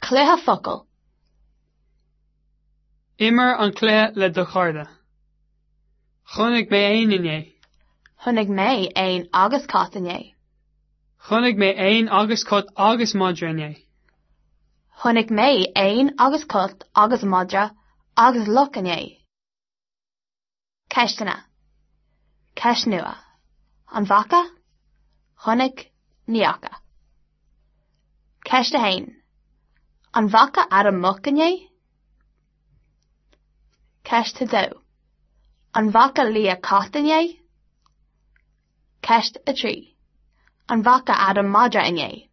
Cluiche focal. Imir an cluiche le do chairde. Chonaic mé éan inné. Chonaic mé éan agus cat inné. Chonaic mé éan agus cat agus madra inné. Chonaic mé éan agus cat agus madra agus luch inné. Ceisteanna. Ceist nua. An bhfaca? Chonaic, Ní fhaca. Ceist 1. An bhfaca Adam muc inné? Ceist 2. An bhfaca Leah cat inné? Ceist 3. An bhfaca Adam madra inné?